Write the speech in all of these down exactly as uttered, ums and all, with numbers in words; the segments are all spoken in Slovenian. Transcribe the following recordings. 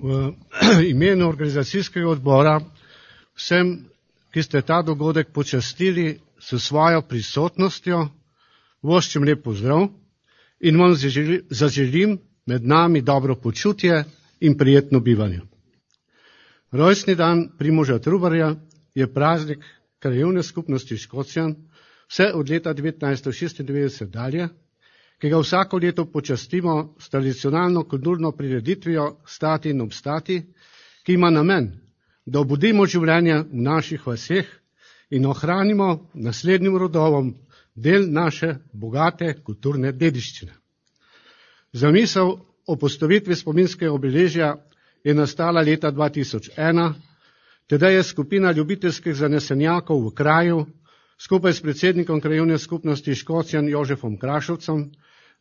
V imenu organizacijskega odbora vsem, ki ste ta dogodek počastili s svojo prisotnostjo, voščim lep pozdrav in vam zaželim med nami dobro počutje in prijetno bivanje. Rojstni dan Primoža Trubarja je praznik Krajevne skupnosti Škocjan vse od leta devetnajststo šestindevetdeset dalje, ki ga vsako leto počastimo s tradicionalno kulturno prireditvijo Stati in obstati, ki ima namen, da obudimo življenje v naših vaseh in ohranimo naslednjim rodovom del naše bogate kulturne dediščine. Zamisel o postavitvi spominskega obeležja je nastala leta dva tisoč ena, tedaj je skupina ljubiteljskih zanesenjakov v kraju skupaj s predsednikom Krajevne skupnosti Škocjan Jožefom Krašovcem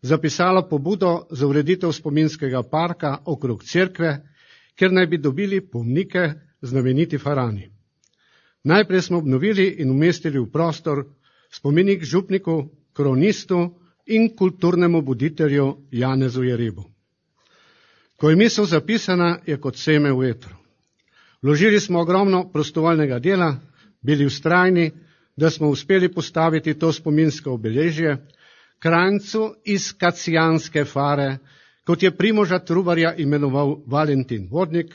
zapisala pobudo za ureditev spominskega parka okrog cerkve, kjer naj bi dobili pomnike znameniti farani. Najprej smo obnovili in umestili v prostor spomenik župniku, kronistu in kulturnemu buditelju Janezu Jerebu. Ko je misel zapisana, je kot seme v vetru. Vložili smo ogromno prostovoljnega dela, bili vztrajni, da smo uspeli postaviti to spominsko obeležje kranjcu iz Kacijanske fare, kot je Primoža Trubarja imenoval Valentin Vodnik,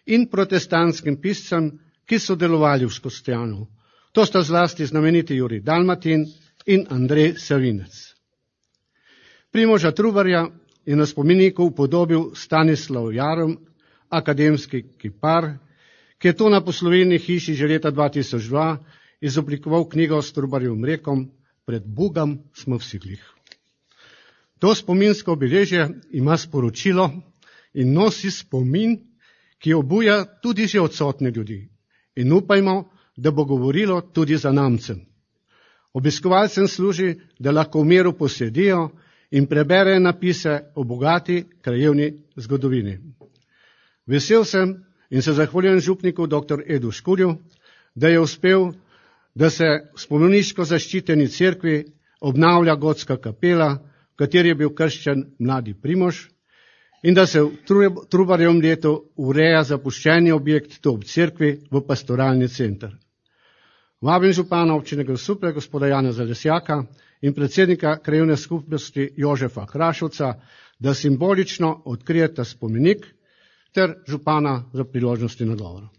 in protestantskim piscem, ki so delovali v Škocjanu. To sta zlasti znameniti Jurij Dalmatin in Andrej Savinec. Primoža Trubarja je na spomeniku upodobil Stanislav Jarm, akademski kipar, ki je to na poslovilni hiši že leta dva tisoč dva izoblikoval knjigo s Trubarjevim rekom Pred Bogom smo vsi glih. To spominsko obeležje ima sporočilo in nosi spomin, ki obuja tudi že odsotne ljudi. In upajmo, da bo govorilo tudi za namcem. Obiskovalcem služi, da lahko v miru posedijo in preberejo napise o bogati krajevni zgodovini. Vesel sem in se zahvaljujem župniku dr. Edu Škurju, da je uspel, da se v spomeniško zaščiteni cerkvi obnavlja gotska kapela, v kateri je bil krščen mladi Primož, in da se v Trubarjevem letu ureja zapuščeni objekt tu ob cerkvi v pastoralni center. Vabim župana občine Grosuplje, gospoda Janeza Lesjaka, in predsednika Krajevne skupnosti Jožefa Krašovca, da simbolično odkrijeta spomenik, ter župana za priložnosti nagovora.